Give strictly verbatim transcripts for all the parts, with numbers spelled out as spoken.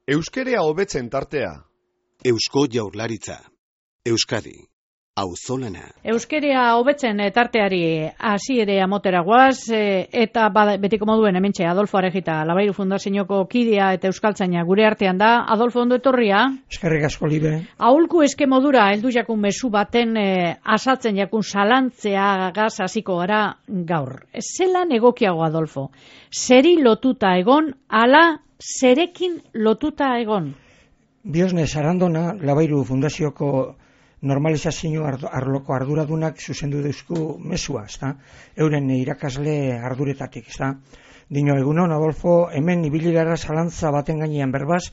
Euskerea hobetzen tartea. Eusko Jaurlaritza. Euskadi. Auzolana. Euskerea hobetzen tarteari hasiera motera goaz, eta betiko moduen hementxe Adolfo Arejita, Labairu Fundazioko kidea eta euskaltzaina gure artean da. Adolfo, ondo etorria? Eskerrik asko, Libe. Aholku eske modura heldu jakun mezu baten eh, asaltzen jakun salantzeagaz hasiko gara gaur. Zelan egokiago, Adolfo? Zeri lotuta egon, ala zerekin lotuta egon? Biosne Sarandona, Labairu Fundazioko normalizazio arloko arduradunak zuzendu deuzku mesua, ezta? Euren irakasle arduretatik, ezta? Dino, egunon, Adolfo, hemen ibili gara zalantza baten gainean berbaz,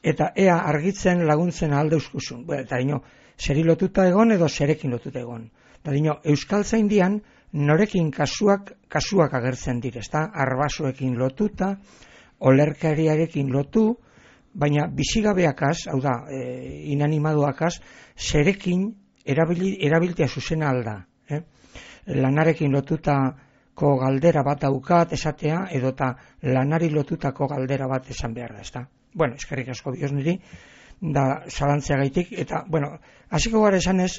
eta ea argitzen laguntzen ahal deuzkuzun. Eta dino, zeri lotuta egon edo zerekin lotuta egon. Eta dino, euskaltzaindian norekin kasuak, kasuak agertzen dire, ezta? Arbasoekin lotuta, olerkariarekin lotu, baina bizigabeakaz, hau da, e, inanimaduakaz, zerekin erabili, erabiltea zuzena alda. Eh? Lanarekin lotutako galdera bat daukat esatea, edota lanari lotutako galdera bat esan behar da, ezta? Bueno, eskerrik asko bioz niri, da zalantzeagaitik, eta, bueno, hasiko gara esanez,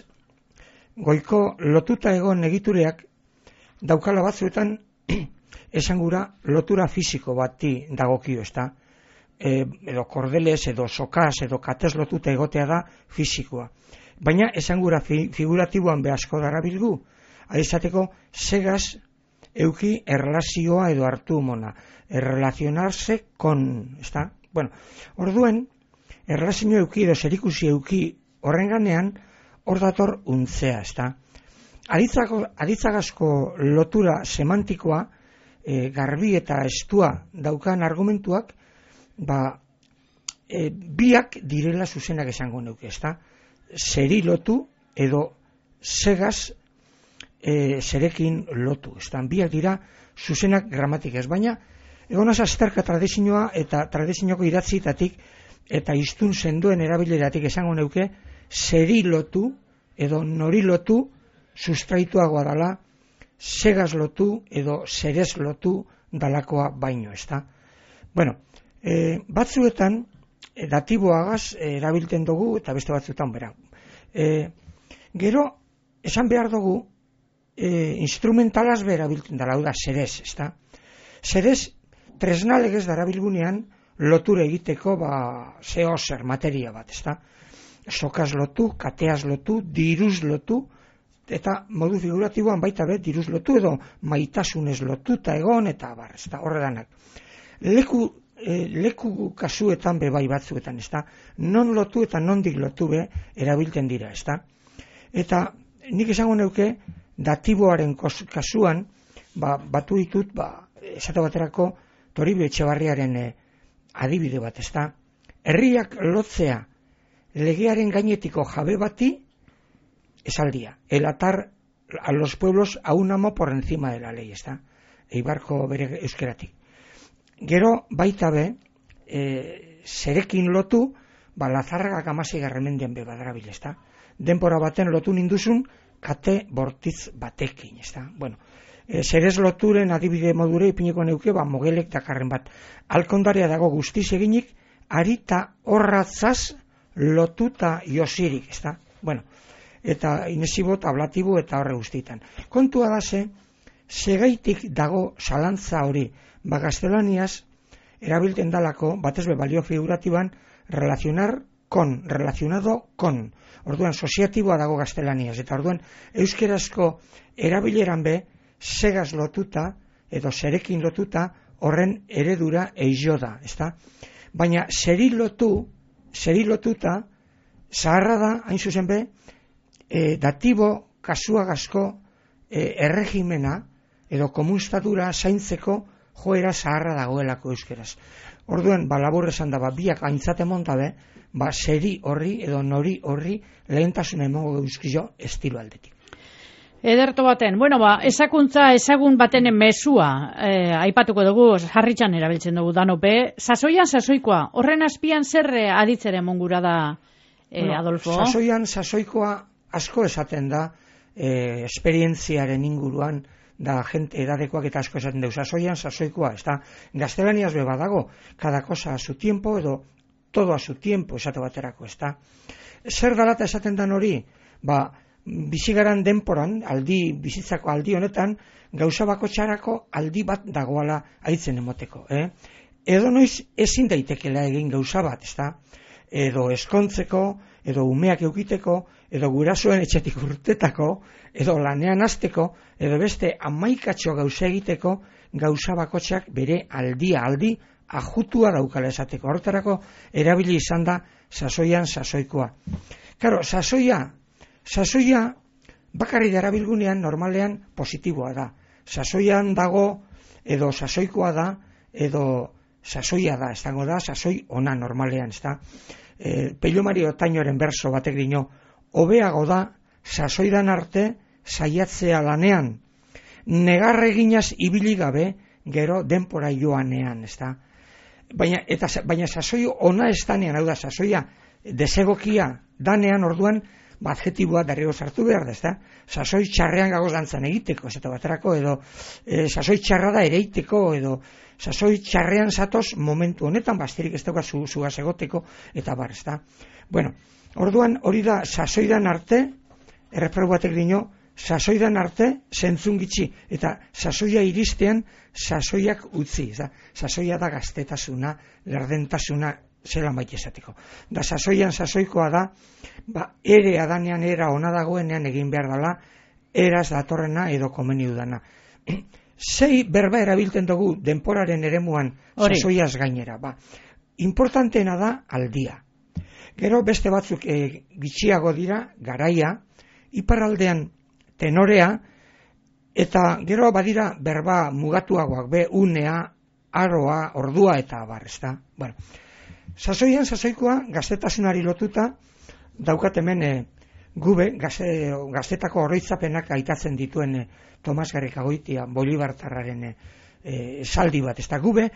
goiko lotuta egon egitureak daukala batzuetan esan gura lotura fisiko bati dagokio, ezta? E, edo kordeles, edo sokaz, edo katez lotuta egotea da fisikoa. Baina esan gura fi, figuratiboan behazko darabilgu, adizateko segaz euki erlazioa edo hartu mona, errelazionarse kon, ezta? Bueno, orduen, erlazio euki edo zerikusi euki horren ganean, hor dator untzea, ezta? Aditzagazko lotura semantikoa, e, garbi eta estua daukan argumentuak, ba, e, biak direla zuzenak esango neuke, ezta? Zeri lotu edo segaz e, zerekin lotu, ezta? Biak dira zuzenak gramatik ez, baina egonaz azterka tradizioa eta tradizioko idatzitatik eta iztun sendoen erabileratik esango neuke zeri lotu edo nori lotu sustraituagoa dala segaz lotu edo zerez lotu dalakoa baino, ezta? Bueno, E, batzuetan e, datiboagaz e, erabilten dugu eta beste batzuetan bera. E, gero, esan behar dugu e, instrumentalaz bera erabilten dara, hau da, zerez, ezta? Zerez, tresnalegez darabilgunean lotura egiteko ba, zeo zer materia bat, ezta? Sokaz lotu, kateaz lotu, diruz lotu, eta modu figuratiboan baita bet diruz lotu edo maitasunez lotuta egon eta bar, ezta? Horredanak. Leku E, leku kasuetan be bai batzuetan, ezta? Non lotu eta nondik lotu be erabilten dira, ezta? Eta nik esango neuke datiboaren kasuan, ba, batu ditut, ba, esate baterako Toribio Etxebarriaren e, adibide bat, ezta? Herriak lotzea legearen gainetiko jabe bati esaldia. El atar a los pueblos a un amo por encima de la ley, ezta? Eibarko bere euskeratik. Gero baita be, e, zerekin lotu, ba, Lazarragak hamasei garremendian be badarabil, ezta? Denpora baten lotu ninduzun, kate bortitz batekin, ezta? Bueno, e, zerez loturen adibide modure ipineko neuke, ba, mogelek dakarren bat. Alkondarea dago guztiz eginik, arita horratzaz lotuta josirik, ezta? Bueno, eta inesibot, ablatibo eta horre guztietan. Kontua da ze, segaitik dago zalantza hori, ba, gaztelaniaz erabilten dalako, batez be balio figuratiban, relacionar con, relacionado con. Orduan, soziatiboa dago gaztelaniaz, eta orduan, euskerazko erabileran be, segaz lotuta, edo zerekin lotuta, horren eredura eizo da, ezta? Baina, zeri lotu, zeri lotuta, zaharra da, hain zuzen be, e, datibo kasuagazko e, erregimena, edo komunstatura zaintzeko joera zaharra dagoelako euskeraz. Orduan, ba, labur esan da, ba, biak aintzate montabe, ba, zeri horri edo nori horri lehentasuna emongo euskizio estilo aldetik. Ederto baten, bueno, ba, ezakuntza ezagun baten mesua, eh, aipatuko dugu, harritxan erabiltzen dugu danope, sasoian sasoikoa, horren azpian zer aditzere mongura da, eh, bueno, Adolfo? Sasoian sasoikoa asko esaten da, eh, esperientziaren inguruan, da gente edadekoak eta asko esaten deus, sasoian sasoikoa, ez da, gaztelaniaz be badago, cada cosa a su tiempo, edo todo a su tiempo, esate baterako, ezta? Zer dalata esaten dan hori? Ba, bizigaran denporan, aldi, bizitzako aldi honetan, gauza bakotxarako aldi bat dagoala aitzen emoteko, eh? Edo noiz ezin daitekela egin gauza bat, ezta? Edo eskontzeko, edo umeak eukiteko, edo gurasoen etxetik urtetako, edo lanean hasteko, edo beste amaikatxo gauza egiteko, gauza bakotxak bere aldia aldi ajutua daukala esateko. Horretarako erabili izan da sasoian sasoikoa. Karo, sasoia, sasoia bakarri darabilgunean normalean positiboa da. Sasoian dago, edo sasoikoa da, edo sasoia da, ez dago da, sasoi ona normalean, ez da. E, Pello Mari Otainoren berso batek dino, hobeago da, sasoidan arte, saiatzea lanean, negarreginaz ibili gabe, gero denpora joanean, ez da. Baina, eta, baina sasoi ona ez danean, hau da, sasoia desegokia danean orduan, adjetiboa darrego sartu behar da, ez da? Sasoi txarrean gagoz dantzan egiteko, ez eta baterako, edo e, sasoi txarra da ereiteko, edo sasoi txarrean zatoz momentu honetan, basterik ez dauka zu, zugaz egoteko, eta bar, ez da? Bueno, orduan hori da sasoidan arte, erreparu batek dino, sasoidan arte zentzun gitxi, eta sasoia iristean sasoiak utzi, ez da? Sasoia da gaztetasuna, lerdentasuna, zelan baita esateko. Da sasoian sasoikoa da, ba, ere adanean era ona dagoenean egin behar dela, eraz datorrena edo komeni dudana. Sei berba erabiltzen dugu denporaren eremuan sasoiaz gainera. Ba, importanteena da aldia. Gero beste batzuk e, gitxiago dira, garaia, iparraldean tenorea, eta gero badira berba mugatuagoak, be unea, aroa, ordua eta abar, ezta? Bueno, sasoian sasoikoa gaztetasunari lotuta daukat hemen e, gube gazte, gaztetako oroitzapenak aitatzen dituen e, Tomas Garrikagoitia Bolibartarraren e, esaldi bat, ez da gube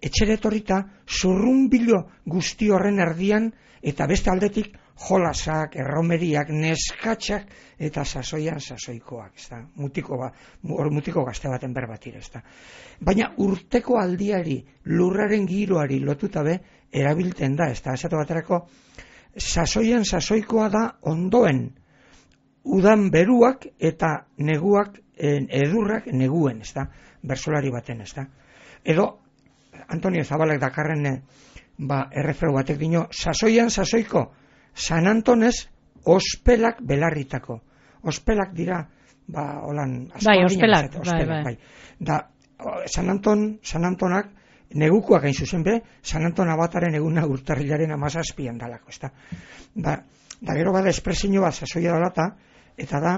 etxeretorrita zurrunbilo guzti horren erdian eta beste aldetik jolasak, erromeriak, neskatxak eta sasoian sasoikoak, ez da, mutiko, ba, mutiko gazte baten berbatira, ez da. Baina urteko aldiari, lurraren giroari lotuta be, erabilten da, ez da, esatu baterako, sasoian sasoikoa da ondoen, udan beruak eta neguak, edurrak neguen, ez da, bersolari baten, ez da. Edo, Antonio Zabalek dakarren, ba, erreferu batek dino, sasoian sasoiko, San Antonez, ospelak belarritako. Ospelak dira, ba, holan, bai, ospelak, zate, ospelak, bai, bai. bai. Da, San Anton, San Antonak, negukoak hain zuzen be, San Anton abataren eguna urtarrilaren amazazpian dalako, ez da. Da, da gero bada espresio bat sasoia dalata, eta da,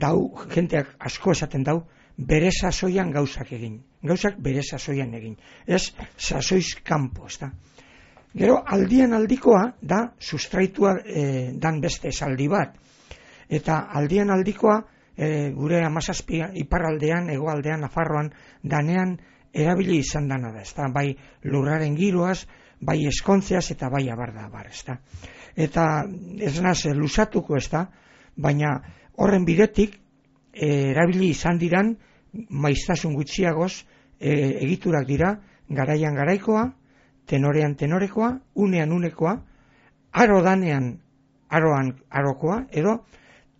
dau, jenteak asko esaten dau, bere sasoian gauzak egin. Gauzak bere sasoian egin. Ez, sasoiz kanpo, ez da. Gero aldian aldikoa da sustraitua e, dan beste esaldi bat. Eta aldian aldikoa e, gure hamazazpian iparraldean, hegoaldean, Nafarroan danean erabili izan dana da, ezta? Bai lurraren giroaz, bai eskontzeaz eta bai abarda abar, ezta? Eta ez naz lusatuko, ezta? Baina horren bidetik e, erabili izan diran maiztasun gutxiagoz e, egiturak dira garaian garaikoa, tenorean tenorekoa, unean unekoa, aro danean aroan arokoa, edo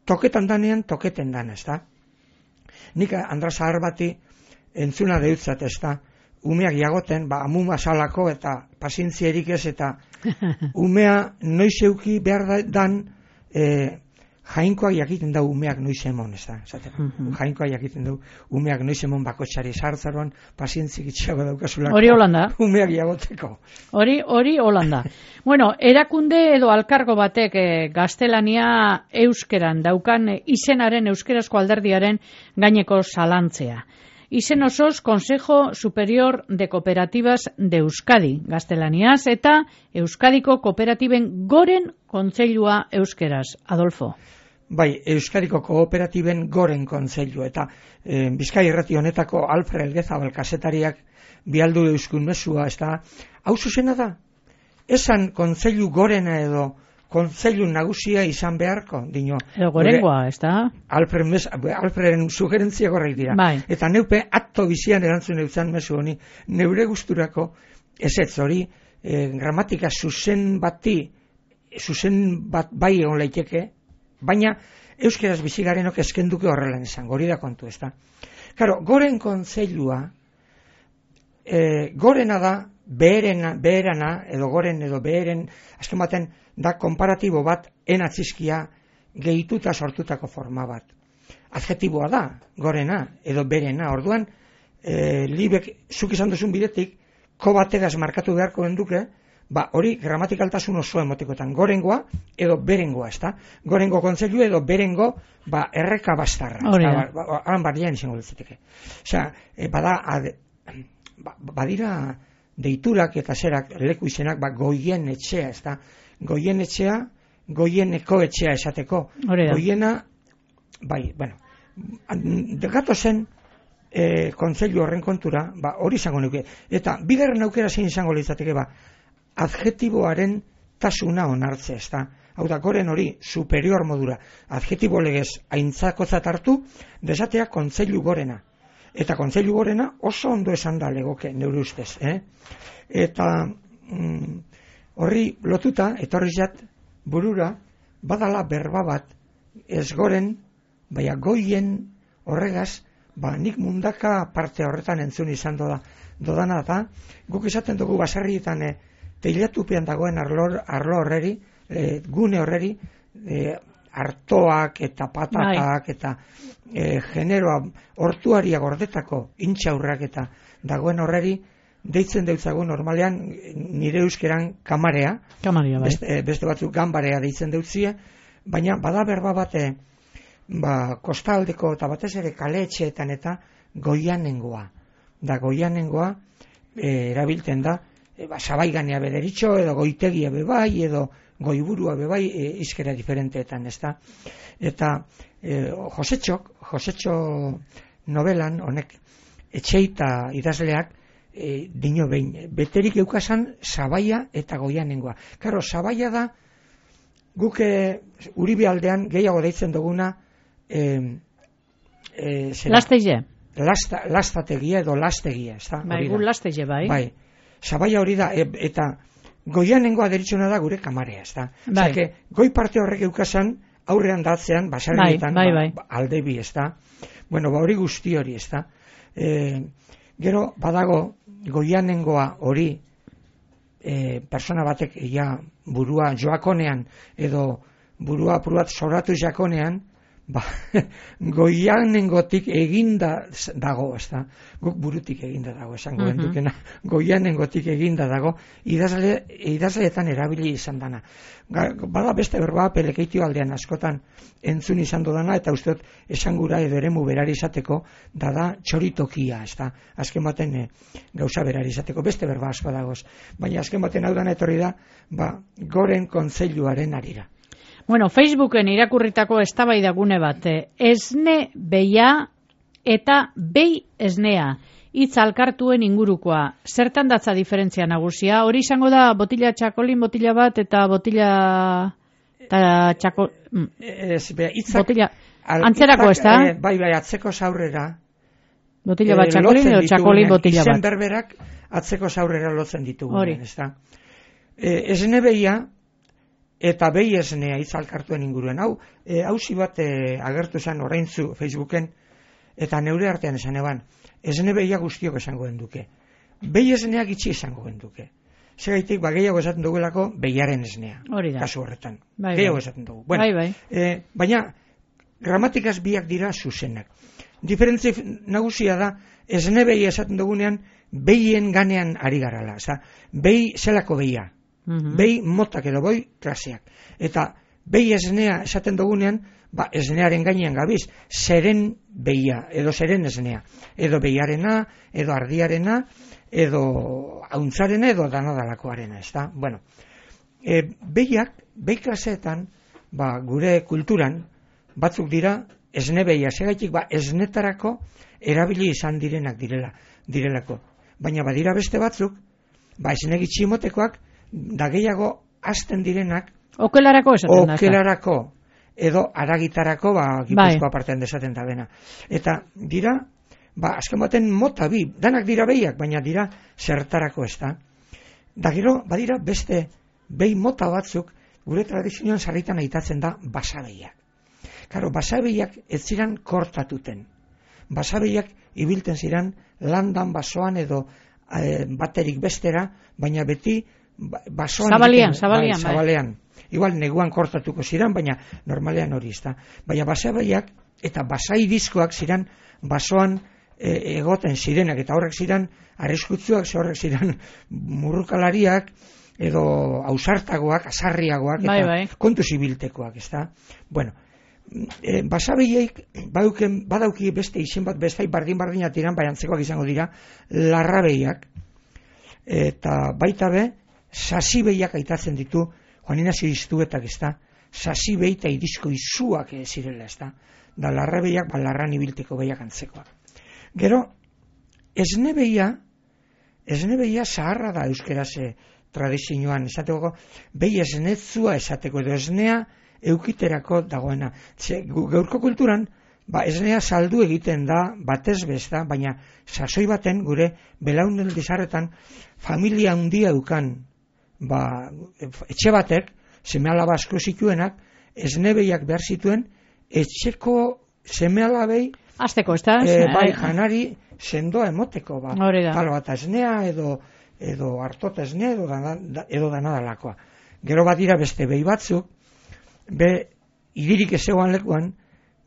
toketan danean toketen dan, ez da? Nik Andra Zahar bati entzuna deutzat, ez da? Umeak jagoten, ba, amuma salako eta pazintzierik ez, eta umea noiz euki behar dan e, jainkoak jakiten da umeak noiz emon, ez da? Mm-hmm. Jainkoak jakiten du umeak noiz emon bakotxari sartzaroan pazientzik itxiago daukazulako. Hori holanda. Umeak jagoteko. Hori, hori holanda. Bueno, erakunde edo alkargo batek e, gaztelania euskeran daukan e, izenaren euskerazko alderdiaren gaineko zalantzea. Izen osoz Consejo Superior de Cooperativas de Euskadi, gaztelaniaz, eta Euskadiko Kooperatiben goren kontseilua euskeraz. Adolfo. Bai, Euskadiko Kooperatiben goren kontseilua, eta e, Bizkai irrati honetako Alfred Elgezabal kazetariak bialdu euskun mesua, ez da, hau zuzena da, esan kontseilu gorena edo kontseilu nagusia izan beharko, dino. Edo gorengoa, ez da? Alfred mes, Alfreden sugerentzia gorreik dira. Bai. Eta neupe atto bizian erantzun eutzan mesu honi, neure gusturako ezetz hori, e, gramatika zuzen bati, zuzen bat bai egon leiteke, baina euskeraz bizigarenok eskenduke horrelan izango, hori da kontu, ez da. Karo, goren kontseilua, e, gorena da, beherena, beherana, edo goren edo beheren, azken baten, da konparatibo bat, enatzizkia gehituta sortutako forma bat. Adjetiboa da, gorena, edo berena, orduan, e, libek, zuk izan duzun bidetik, ko bategaz markatu beharko denduke, ba, hori gramatikaltasun oso emotikotan, gorengoa edo berengoa, ez da? Gorengo kontzeilu edo berengo, ba, erreka bastarra. Hori da. Ba, ba, han barrian izango ditziteke. Osea, e, bada, ad, ba, badira deiturak eta zerak, leku izenak, ba, goien etxea, ez da? Goien etxea, goieneko etxea esateko. Hori da. Goiena, bai, bueno, degato zen, e, kontzeilu horren kontura, ba, hori izango nuke. Eta, bigarren aukera zein izango litzateke, ba, adjetiboaren tasuna onartze, ez da? Hau da, goren hori superior modura, adjetibo legez aintzakotzat hartu, desatea kontzeilu gorena. Eta kontzeilu gorena oso ondo esan da legoke, neure ustez, eh? Eta mm, horri lotuta, etorri zat, burura, badala berba bat, ez goren, baina goien horregaz, ba, nik mundaka parte horretan entzun izan doda, dodana da, guk esaten dugu basarrietan, eh, teilatupean dagoen arlo, arlo horreri, e, gune horreri, e, artoak eta patatak bai. Eta e, generoa hortuaria gordetako intxaurrak eta dagoen horreri, deitzen deutzagu normalean nire euskeran kamarea, Kamaria, bai. beste, e, beste batzuk ganbarea deitzen deutzie, baina bada berba bate, ba, kostaldeko eta batez ere kaleetxeetan eta goianengoa. Da goianengoa e, erabiltzen da, E, ba, sabaiganea bederitxo, edo goitegia bebai, edo goiburua bebai, e, izkera diferenteetan, ez da. Eta e, Josetxok, Josetxo novelan, honek, etxeita idazleak, e, dino behin, beterik eukasan sabaia eta goianengoa. Karo, sabaia da, guk Uribe aldean gehiago deitzen duguna, e, e, Lastegie. Lasta, lastategia edo lastegia, ez da. Bai, gu lastegie, bai. Bai. Sabaia hori da, e, eta goianengoa deritzona da gure kamarea, ez da. Bai. Osea, goi parte horrek eukasan, aurrean datzean, basarrietan, bai, bai, ba, alde bi, ez da. Bueno, ba hori guzti hori, ez da. E, gero, badago, goianengoa hori, e, persona batek ja burua joakonean, edo burua apurat soratu jakonean, ba, goianengotik eginda dago, ez da, guk burutik eginda dago, esango uh-huh. Dukena, goianengotik eginda dago, idazle, idazleetan erabili izan dana. Bada beste berba, pelekeitio aldean askotan entzun izan dudana, eta usteot esangura edo eremu berari izateko, dada txoritokia, ez da, azken baten e, gauza berari izateko, beste berba asko dagoz, baina azken baten hau dana etorri da, ba, goren kontseiluaren arira. Bueno, Facebooken irakurritako eztabaidagune bat, esne beia eta bei esnea, hitz alkartuen ingurukoa. Zertan datza diferentzia nagusia? Hori izango da botila txakolin, botila bat eta botila eta txako... Ez, be, itzak, botila... Antzerako ez da? E, bai, bai, atzeko zaurrera. Botila bat txakolin edo txakolin botila bat. Izen berberak atzeko zaurrera lotzen ditugu. Hori. Ez da. E, esne beia eta behi esnea itzalkartuen inguruen. Hau, e, hausi bat e, agertu esan oraintzu Facebooken, eta neure artean esan eban, esne behia guztiok esango genduke. Behi esneak itxi esango genduke. Segaitik, ba, gehiago esaten dugulako behiaren esnea. Hori da. Kasu horretan. Bai, gehiago bai. Esaten dugu. Bueno, bai, bai. E, baina, gramatikaz biak dira zuzenak. Diferentzi nagusia da, esne behi esaten dugunean, behien ganean ari garala. Oza, behi zelako behia. Uh-huh. Behi motak edo boi klaseak. Eta behi esnea esaten dugunean, ba, esnearen gainean gabiz, zeren behia, edo zeren esnea. Edo behiarena, edo ardiarena, edo hauntzarena, edo danadalakoarena, ez da? Bueno, e, behiak, behi klaseetan, ba, gure kulturan, batzuk dira, esne behia, segaitik, ba, esnetarako erabili izan direnak direla, direlako. Baina badira beste batzuk, ba, esne gitximotekoak, da gehiago hasten direnak okelarako esaten da. Okelarako edo aragitarako, ba, Gipuzkoa bai. Partean desaten da bena. Eta dira, ba, azken baten mota bi, danak dira behiak, baina dira zertarako ez da. Da gero, badira beste behi mota batzuk, gure tradizioan sarritan aitatzen da basabeiak. Karo, basabeiak ez ziren kortatuten. Basabeiak ibilten ziren landan, basoan edo e, baterik bestera, baina beti basoan... Zabalean, egiten, zabalean. Bai, zabalean. Igual neguan kortatuko ziren, baina normalean hori ez da. Baina basabeiak eta basai diskoak ziren basoan e, egoten zirenak, eta horrek ziren arriskutsuak, horrek ziren murrukalariak, edo ausartagoak, asarriagoak, eta bai, bai. kontuz ibiltekoak, ez da? Bueno, e, basabeiek badauken, badauki beste izen bat, bestai bardin-bardina tiran, bai antzekoak izango dira, larrabeiak, eta baita be, sasibeiak aitatzen ditu, Juan Inazio Iztuetak, ez da? Sasibei eta irizko izuak zirela, ez da? Da larrabeiak, ba, larran ibilteko behiak antzekoak. Gero, esnebeia, esnebeia zaharra da euskeraz tradizioan, esateko, behi esnetzua esateko, edo esnea eukiterako dagoena. Ze, gaurko kulturan, ba, esnea saldu egiten da, batez besta, baina sasoi baten gure belaunel dizarretan familia handia eukan, ba, etxe batek, seme-alaba asko zituenak, esnebeiak behar zituen, etxeko seme-alabei Azteko, ez da? E, bai, janari sendoa emoteko, ba. Talo bat esnea, edo, edo hartota esnea, edo, dana, edo danadalakoa. Gero badira beste behi batzuk, be, idirik ezegoan lekuan,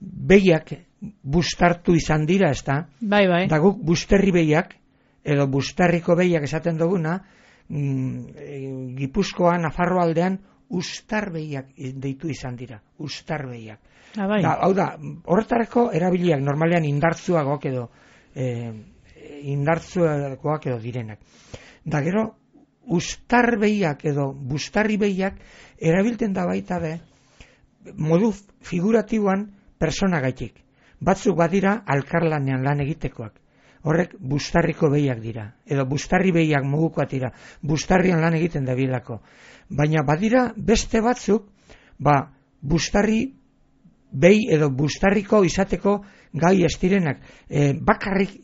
behiak bustartu izan dira, ez da? Bai, bai. Da guk busterri behiak, edo bustarriko behiak esaten duguna, mm, Gipuzkoan, Nafarro aldean, ustar behiak deitu izan dira, ustar behiak. Ah, bai. Da, hau da, horretarako erabiliak normalean indartzuagoak edo e, indartzuagoak edo direnak. Da gero, ustar behiak edo bustarri behiak erabilten da baita be, modu figuratiboan persona gaitik. Batzuk badira alkarlanean lan egitekoak. Horrek bustarriko behiak dira. Edo bustarri behiak mugukoak dira. Bustarrian lan egiten da bilako. Baina badira beste batzuk, ba, bustarri behi edo bustarriko izateko gai estirenak. E, bakarrik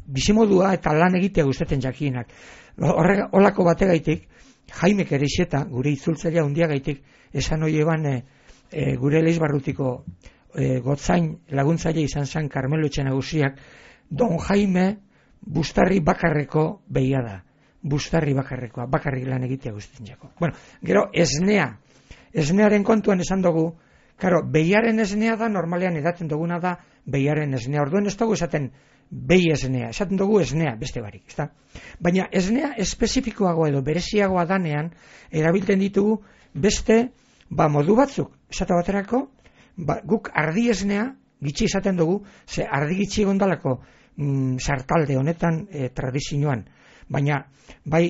bizimodua eta lan egitea gustatzen jakienak. Horrek, olako bategaitik, Jaime Kerexeta, gure itzultzailea hundiagaitik, esan hori eban e, e, gure Leizbarrutiko e, gotzain laguntzaile izan zen Karmelo Etxe Nagusiak, Don Jaime bustarri bakarreko behia da. Bustarri bakarrekoa, bakarrik lan egitea gustatzen jako. Bueno, gero esnea. Esnearen kontuan esan dugu, karo, behiaren esnea da, normalean edaten duguna da, behiaren esnea. Orduen ez dugu esaten behi esnea, esaten dugu esnea, beste barik, ezta? Baina esnea espezifikoago edo bereziagoa danean, erabiltzen ditugu beste, ba, modu batzuk. Esate baterako, ba, guk ardi esnea, gitxi esaten dugu, ze ardi gitxi gondalako mm, sartalde honetan e, tradizioan. Baina, bai,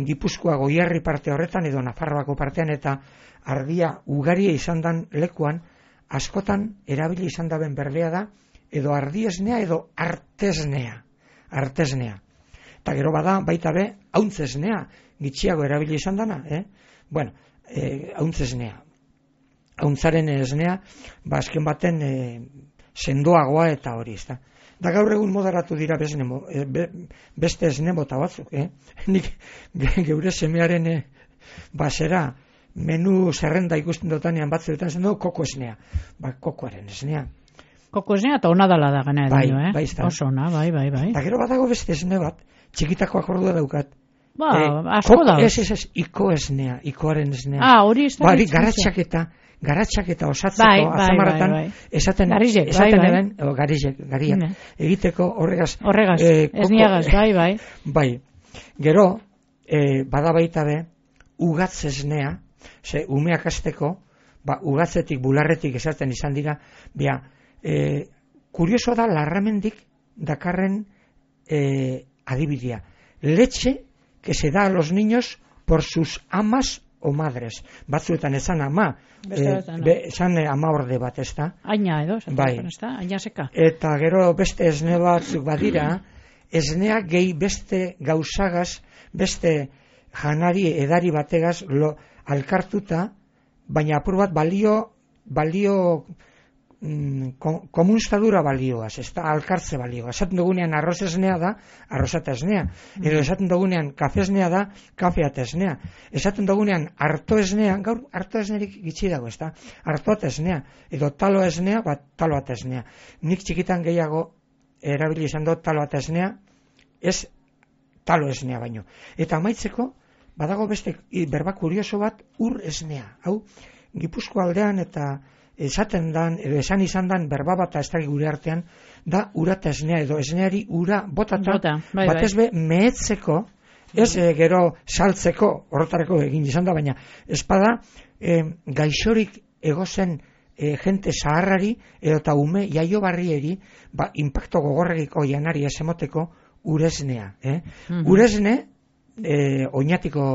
Gipuzkoa Goierri parte horretan edo Nafarroako partean eta ardia ugaria izan dan lekuan, askotan erabili izan daben berdea da, edo ardiesnea edo artesnea. Artesnea. Eta gero bada, baita be, hauntzesnea, gitxiago erabili izan dana, eh? Bueno, eh, hauntzesnea. Hauntzaren esnea, ba, azken baten e, sendoagoa eta hori, ez da. Da gaur egun moderatu dira bezne, be, beste esne bota batzuk, eh? Nik geure semearen e, basera, menu zerrenda ikusten dotanean batzuetan zen dugu koko esnea. Ba, kokoaren esnea. Koko esnea eta ona dala da gana edo, bai, eh? Bai, oso ona, bai, bai, bai. Eta gero badago beste esne bat, txikitakoak ordua daukat. Ba, eh, asko koko, da. Ez, ez, ez, iko esnea, ikoaren esnea. Ah, hori ez da. Ba, garatxaketa, garatxaketa osatzeko, bai, bai, azamaratan, bai, bai. esaten, garizek, esaten bai, bai. eben, o, garizek, garia, Ne. egiteko horregaz. Horregaz, eh, esniagaz, bai, bai. Bai, gero, eh, bada baita be, ugatz esnea, ze umeak azteko, ba, ugatzetik, bularretik esaten izan dira, bia, e, kurioso da larramendik dakarren e, adibidea. Leche que se da a los niños por sus amas o madres. Batzuetan esan ama, e, be, esan ama orde bat, ez da? Aina edo, bai. Ez da? Aina seka. Eta gero beste esne batzuk badira, esnea gehi beste gauzagaz, beste janari edari bategaz lo, alkartuta, baina apur bat balio balio mm, komunstadura balioaz, ez da alkartze balioaz. Esaten dugunean arroz esnea da, arrozata esnea. Edo esaten dugunean kafe esnea da, kafeata esnea. Esaten dugunean harto esnea, gaur harto esnerik gitxi dago, ez da? Hartoata esnea. Edo talo esnea, bat taloata esnea. Nik txikitan gehiago erabili izan dut taloata esnea, ez talo esnea baino. Eta amaitzeko, badago beste berba kurioso bat, ur esnea. Hau, Gipuzkoa aldean eta esaten dan, edo esan izan dan berba bat ez da gure artean, da urata esnea, edo esneari ura botata, Bota, bai, batez be mehetzeko, ez e, gero saltzeko, horretarako egin izan da, baina espada e, gaixorik egozen e, jente zaharrari, edo eta ume jaio barrieri, ba, impacto gogorregiko janari ez emoteko uresnea. Eh? Mm-hmm. Uresne, e, oinatiko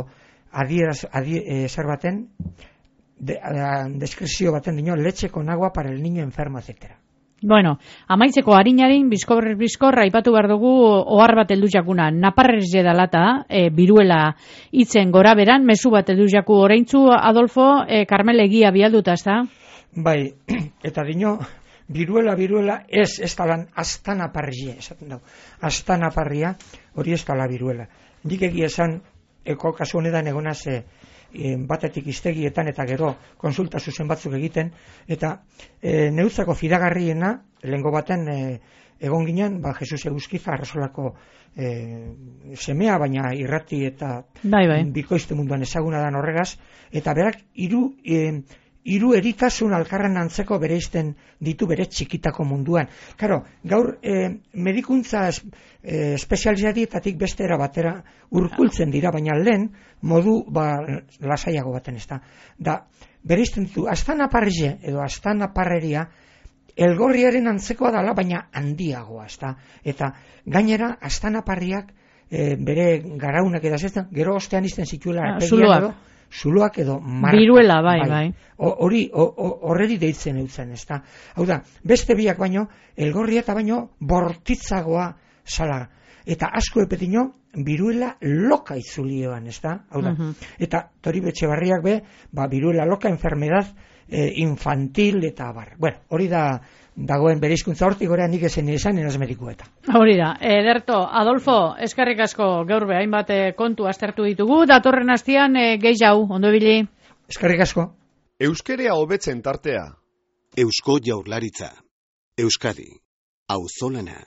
adieraz, adie, e, zer baten, De, a, deskripzio baten dino, leche con agua para el niño enfermo, etcétera. Bueno, amaitzeko harinarin, bizkor, bizkor, aipatu behar dugu ohar bat heldu jakuna, naparrez jedalata, e, biruela itzen gora beran, mezu bat heldu jaku oraintzu, Adolfo, e, Karmel egia bialduta, ez da? Bai, eta dino, biruela, biruela, ez, ez talan, astana parrie, esaten dago, astana parria, hori ez tala biruela. Nik egia esan, eko kasu honetan egonaz, e, batetik iztegietan eta gero konsulta zuzen batzuk egiten, eta e, neutzako fidagarriena, lehengo baten e, egon ginen, ba, Jesus Eguzkiza arrasolako e, semea, baina irrati eta bai, bai. bikoizte munduan ezaguna dan horregaz, eta berak hiru e, hiru eritasun alkarren antzeko bereizten ditu bere txikitako munduan. Karo, gaur e, medikuntza es, e, espezializatietatik beste era batera urkultzen dira, baina lehen modu ba, lasaiago baten ez da. Da, bereizten ditu, astana parrie edo astana parreria elgorriaren antzekoa dala, baina handiagoa, ez da. Eta gainera, astana parriak e, bere garaunak edazetzen, gero ostean izten zituela arpegian, zuloak edo marka. Biruela, bai, bai. Hori, horreri deitzen eutzen, ez da. Hau da, beste biak baino, elgorria eta baino, bortitzagoa zala. Eta asko epetino, biruela loka itzulioan, ez da. Hau da, uh-huh. Eta Tori Etxebarriak be, ba, biruela loka enfermedad eh, infantil eta bar. Bueno, hori da, dagoen bereizkuntza hortik gorean nik esen izan enaz medikueta. Hori da, ederto, Adolfo, eskerrik asko gaur be, hainbat kontu aztertu ditugu, datorren astian e, gehi jau, ondo ibili. Eskerrik asko. Euskerea hobetzen tartea. Eusko Jaurlaritza. Euskadi. Auzolana.